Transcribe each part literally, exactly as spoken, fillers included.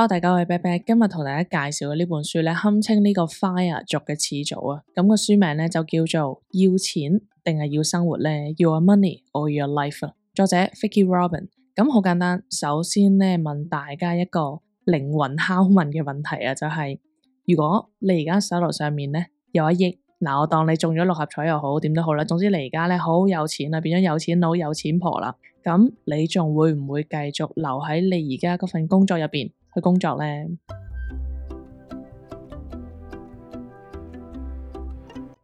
Hello，大家好，我係 Bear Bear，今日同大家介紹嘅呢本書咧，堪稱呢個 Fire 族嘅始祖啊。咁、個書名咧就叫做要錢定係要生活咧 ？Your money or your life 啊。作者 Vicki Robin。咁好簡單，首先咧問大家一個靈魂拷問嘅問題啊，就係、是、如果你而家手頭上面咧有一億，嗱我當你中咗六合彩又好，點都好啦，總之你而家咧好有錢啦，變咗有錢佬、有錢婆啦，咁你仲會唔會繼續留喺你而家嗰份工作入邊去工作呢？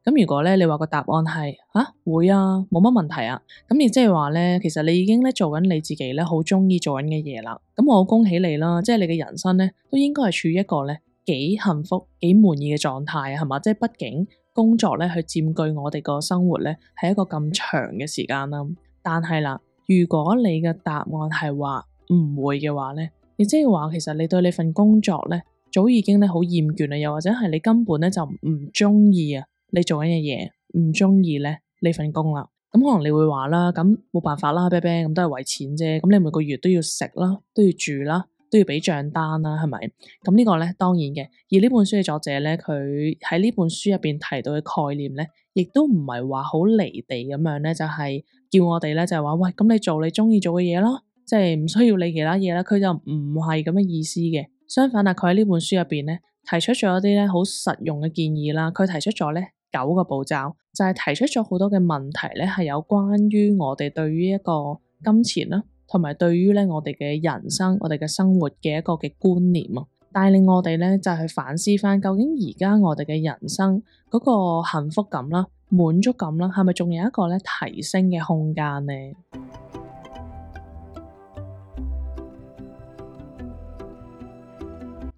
咁如果咧你話個答案係啊會啊，冇乜問題啊，咁亦即係話咧，其實你已經咧做緊你自己咧好中意做緊嘅嘢啦。咁我恭喜你啦，即係你嘅人生咧都應該係處於一個咧幾幸福、幾滿意嘅狀態啊，係嘛？即係畢竟工作咧去佔據我哋個生活咧係一個咁長嘅時間啦。但係啦，如果你嘅答案係話唔會嘅話咧，亦即係話其實你對你份工作咧早已經咧好厭倦啦，又或者係你根本咧就唔中意啊你做緊嘅嘢，唔中意咧呢份工啦。咁可能你會話啦，咁冇辦法啦，啤啤咁都係為錢啫。咁你每個月都要食啦，都要住啦，都要俾賬單啦，係咪？咁呢個咧當然嘅。而呢本書嘅作者咧，佢喺呢本書入邊提到嘅概念咧，亦都唔係話好離地咁樣咧，就係叫我哋咧就係話喂，咁你做你中意做嘅嘢咯，即係唔需要理其他嘢啦。佢就唔係咁嘅意思嘅。相反啊，佢喺呢本書入邊咧提出咗一啲咧好實用嘅建議啦。佢提出咗咧九個步驟，就係提出咗好多嘅問題咧，係有關於我哋對於一個金錢啦，同埋對於咧我哋嘅人生、我哋嘅生活嘅一個嘅觀念啊，帶領我哋咧就係去反思翻，究竟而家我哋嘅人生嗰個幸福感啦、滿足感啦，係咪仲有一個咧提升嘅空間呢？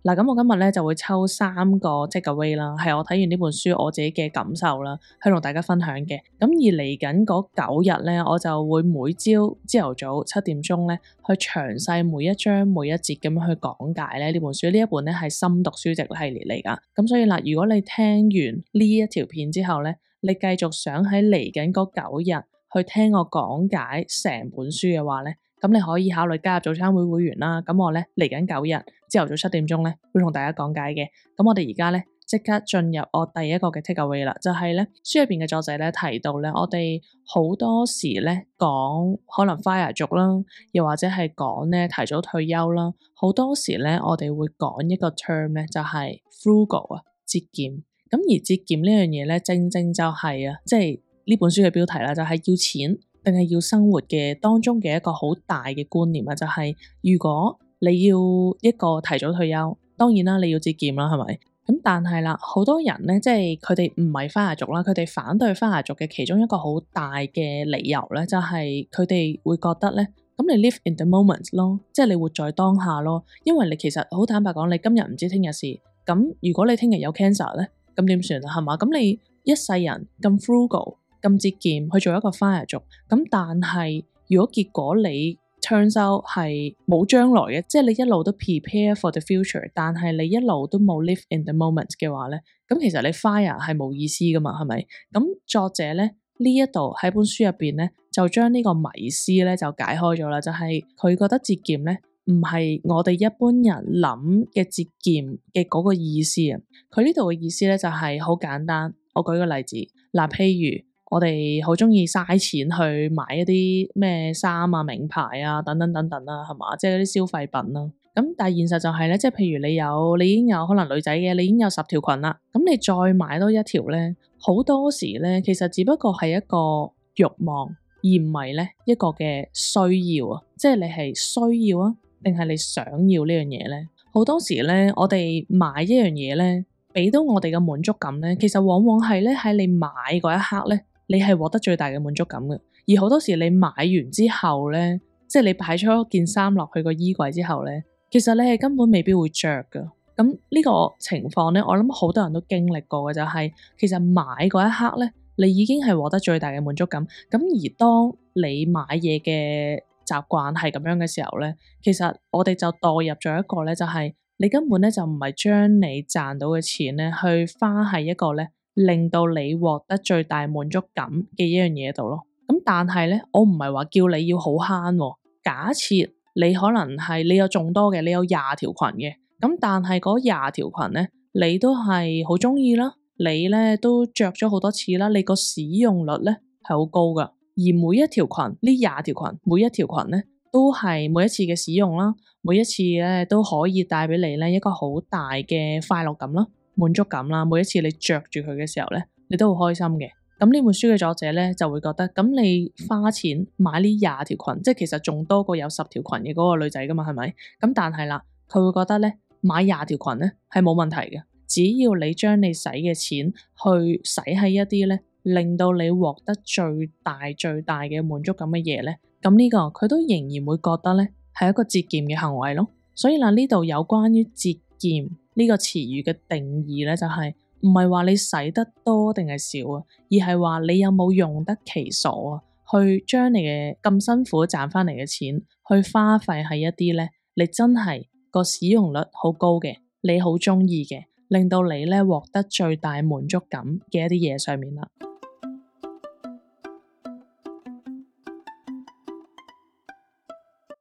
嗱，咁我今日咧就會抽三個 take away 啦，係我睇完呢本書我自己嘅感受啦，去同大家分享嘅。咁而嚟緊嗰九日咧，我就會每朝朝頭早七點鐘咧，去詳細每一章每一節咁樣去講解咧呢本書。呢一本咧係深讀書籍系列嚟㗎。咁所以嗱，如果你聽完呢一條片之後咧，你繼續想喺嚟緊嗰九日去聽我講解成本書嘅話咧，咁你可以考慮加入早餐會會員啦。咁我咧嚟緊九日朝頭早七點鐘咧會同大家講解嘅。咁我哋而家咧即刻進入我第一個嘅 take away 啦，就係咧書入邊嘅作者咧提到咧，我哋好多時咧講可能 fire 族啦，又或者係講咧提早退休啦，好多時咧我哋會講一個 term 咧就係 frugal 啊，節儉。咁而節儉呢樣嘢咧，正正就係啊，即係呢本書嘅標題啦，就係要錢定係要生活嘅當中嘅一個好大嘅觀念啊，就係如果你要一個提早退休，當然啦，你要節儉啦，係咪？咁但係啦，好多人咧，即係佢哋唔係花牙族啦，佢哋反對花牙族嘅其中一個好大嘅理由咧，就係佢哋會覺得咧，咁你 live in the moment 咯，即係你活在當下咯，因為你其實好坦白講，你今日唔知聽日事，咁如果你聽日有 cancer 咧，咁點算啊？係嘛？咁你一世人咁 frugal。咁節儉去做一個 fire 族，咁但係如果結果你 turns out 係冇將來嘅，即係你一路都 prepare for the future， 但係你一路都冇 live in the moment 嘅話咧，咁其實你 fire 係冇意思噶嘛，係咪？咁作者咧呢一度喺本書入邊咧就將呢個迷思咧就解開咗啦，就係、是、佢覺得節儉咧唔係我哋一般人諗嘅節儉嘅嗰個意思啊，佢呢度嘅意思咧就係、是、好簡單，我舉個例子，嗱譬如。我哋好中意嘥錢去買一啲咩衫啊、名牌啊等等等等啦，係嘛？即係嗰啲消費品啦。咁但係現實就係咧，即係譬如你有，你已經有可能女仔嘅，你已經有十條裙啦。咁你再買多一條咧，好多時咧，其實只不過係一個慾望，而唔係咧一個嘅需要啊。即係你係需要啊，定係你想要呢樣嘢咧？好多時咧，我哋買一樣嘢咧，俾到我哋嘅滿足感咧，其實往往係咧喺你買嗰一刻咧。你係獲得最大嘅滿足感嘅，而好多時你買完之後咧，即係你擺咗件衫落去個衣櫃之後咧，其實你係根本未必會着噶。咁呢個情況咧，我諗好多人都經歷過嘅就係，其實買嗰一刻咧，你已經係獲得最大嘅滿足感。咁而當你買嘢嘅習慣係咁樣嘅時候咧，其實我哋就墮入咗一個咧，就係你根本咧就唔係將你賺到嘅錢咧去花喺一個咧。令到你獲得最大滿足感嘅一樣嘢度咯。咁但係咧，我唔係話叫你要好慳喎。假設你可能係你有眾多嘅，你有廿條裙嘅，咁但係嗰廿條裙咧，你都係好中意啦，你咧都着咗好多次啦，你個使用率咧係好高噶。而每一條裙，呢廿條裙，每一條裙咧都係每一次嘅使用啦，每一次咧都可以帶俾你咧一個好大嘅快樂感啦、滿足感啦。每一次你着住佢嘅時候咧，你都好開心嘅。咁呢本書嘅作者咧就會覺得，咁你花錢買呢廿條裙，即係其實仲多過有十條裙嘅嗰個女仔噶嘛，係咪？咁但係啦，佢會覺得咧買廿條裙咧係冇問題嘅，只要你將你使嘅錢去使喺一啲咧令到你獲得最大最大嘅滿足感嘅嘢咧，咁呢個佢都仍然會覺得咧係一個節儉嘅行為咯。所以嗱，呢度有關於節儉呢個詞語嘅定義咧，就係唔係話你使得多定係少啊，而係話你有冇用得其所啊，去將你嘅咁辛苦賺翻嚟嘅錢去花費喺一啲咧你真係個使用率好高嘅，你好中意嘅，令到你咧獲得最大滿足感嘅一啲嘢上面啦。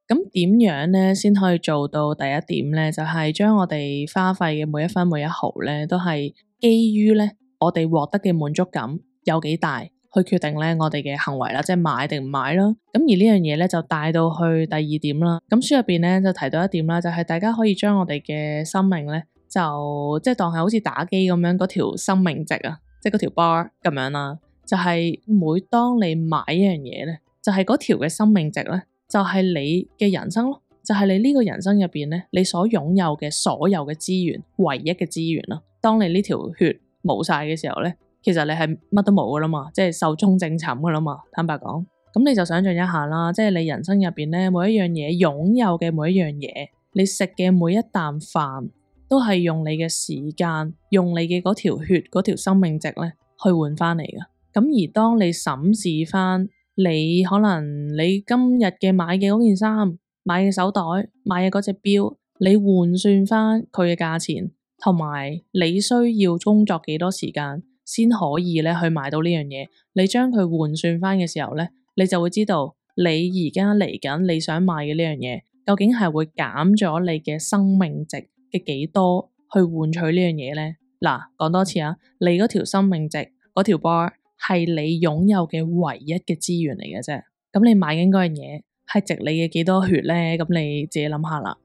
咁點樣咧先可以做到第一點咧？就係將我哋花費嘅每一分每一毫咧，都係基於咧我哋獲得嘅滿足感有幾大，去決定咧我哋嘅行為啦，即係買定唔買啦。咁而呢樣嘢咧就帶到去第二點啦。咁書入邊咧就提到一點啦，就係大家可以將我哋嘅生命咧就即係當係好似打機咁樣嗰條生命值啊，即係嗰條 bar 咁樣啦。就係每當你買一樣嘢咧，就係嗰條嘅生命值咧。就係你嘅人生咯，就係你呢個人生入邊咧，你所擁有嘅所有嘅資源，唯一嘅資源啦。當你呢條血冇晒嘅時候咧，其實你係乜都冇噶啦嘛，即係壽終正寢噶啦嘛。坦白講，咁你就想象一下啦，即係你人生入邊咧，每一樣嘢擁有嘅每一樣嘢，你食嘅每一啖飯，都係用你嘅時間，用你嘅嗰條血嗰條生命值咧去換翻嚟噶。咁而當你審視翻，你可能你今日嘅買嘅嗰件衫、買嘅手袋、買嘅嗰隻錶，你換算翻佢嘅價錢，同埋你需要工作幾多時間先可以咧去買到呢樣嘢，你將佢換算翻嘅時候咧，你就會知道你而家嚟緊你想買嘅呢樣嘢，究竟係會減咗你嘅生命值嘅幾多去換取呢樣嘢咧？嗱，講多次啊，你嗰條生命值嗰條 bar。係你擁有嘅唯一嘅資源嚟嘅啫，咁你買緊嗰樣嘢係值你嘅幾多血咧？咁你自己諗下啦。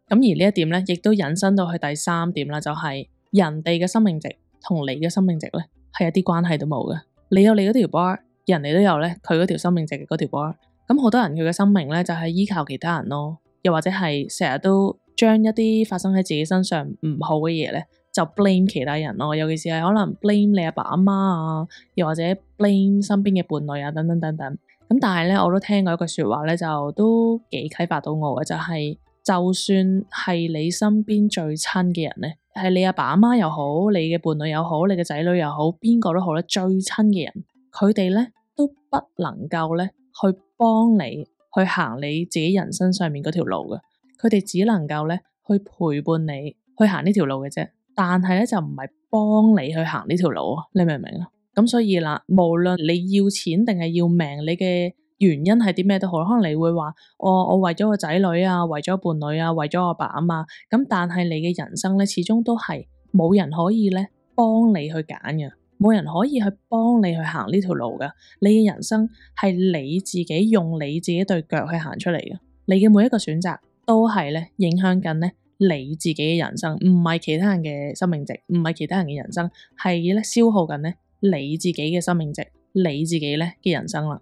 咁而呢一點咧，亦都引申到去第三點啦，就係人哋嘅生命值同你嘅生命值咧，係一啲關係都冇嘅。你有你嗰條 bar，人哋都有咧佢嗰條生命值嘅嗰條 bar。咁好多人佢嘅生命咧就係依靠其他人咯，又或者係成日都將一啲發生喺自己身上唔好嘅嘢咧，就 blame 其他人咯，尤其是係可能 blame 你阿爸阿媽啊，又或者 blame 身邊嘅伴侶啊，等等等等。咁但係咧，我都聽過一句說話咧，就都幾啟發到我嘅，就係就算係你身邊最親嘅人咧，係你阿爸阿媽又好，你嘅伴侶又好，你嘅仔女又好，邊個都好咧，最親嘅人，佢哋咧都不能夠咧去幫你去行你自己人生上面嗰條路嘅。佢哋只能夠咧去陪伴你去行呢條路嘅啫，但係咧就唔係幫你去行呢條路啊！你明唔明啊？咁所以啦，無論你要錢定係要命，你嘅原因係啲咩都好，可能你會話我我為咗個仔女啊，為咗伴侶啊，為咗我阿爸阿媽，咁但係你嘅人生咧始終都係冇人可以咧幫你去揀嘅，冇人可以去幫你去行呢條路噶。你嘅人生係你自己用你自己對腳去行出嚟嘅，你嘅每一個選擇都係咧影響緊咧你自己嘅人生，唔係其他人嘅生命值，唔係其他人嘅人生，係咧消耗緊咧你自己嘅生命值，你自己咧嘅人生啦。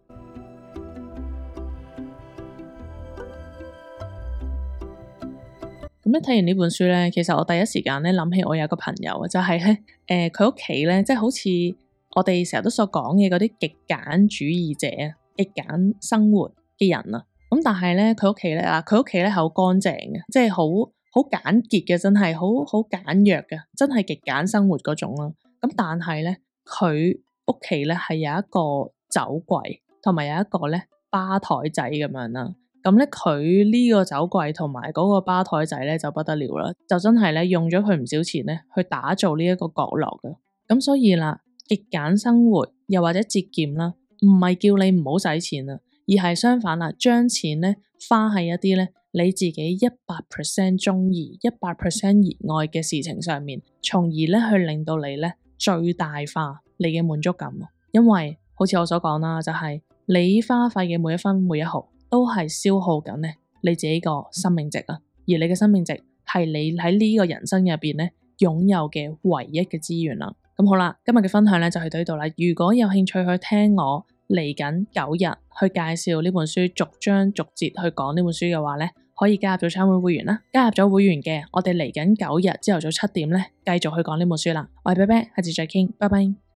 咁咧睇完呢本書咧，其實我第一時間咧諗起我有個朋友，就係咧誒佢屋企咧，即係好似我哋成日都所講嘅嗰啲極簡主義者啊，極簡生活嘅人啊。咁但係咧，佢屋企咧啊，佢屋企咧係好乾淨嘅，即係好好簡潔嘅，真係好好簡約嘅，真係極簡生活嗰種啦。咁但係咧，佢屋企咧係有一個酒櫃，同埋有一個咧吧台仔咁樣啦。咁咧佢呢個酒櫃同埋嗰個吧台仔咧就不得了啦，就真係咧用咗佢唔少錢咧去打造呢一個角落嘅。咁所以啦，極簡生活又或者節儉啦，唔係叫你唔好使錢啊。而係相反啦，將錢咧花喺一啲咧你自己一百 percent 中意、一百 percent 熱愛嘅事情上面，從而咧去令到你咧最大化你嘅滿足感。因為好似我所講啦，就係你花費嘅每一分每一毫都係消耗緊咧你自己個生命值啊，而你嘅生命值係你喺呢個人生入邊咧擁有嘅唯一嘅資源啦。咁好啦，今日嘅分享咧就去到呢度啦。如果有興趣去聽我嚟緊九日去介紹呢本書，逐章逐節去講呢本書嘅話咧，可以加入咗餐會會員啦。加入咗會員嘅，我哋嚟緊九日朝頭早七點咧，繼續去講呢本書啦。我係啤啤，下次再傾，拜拜。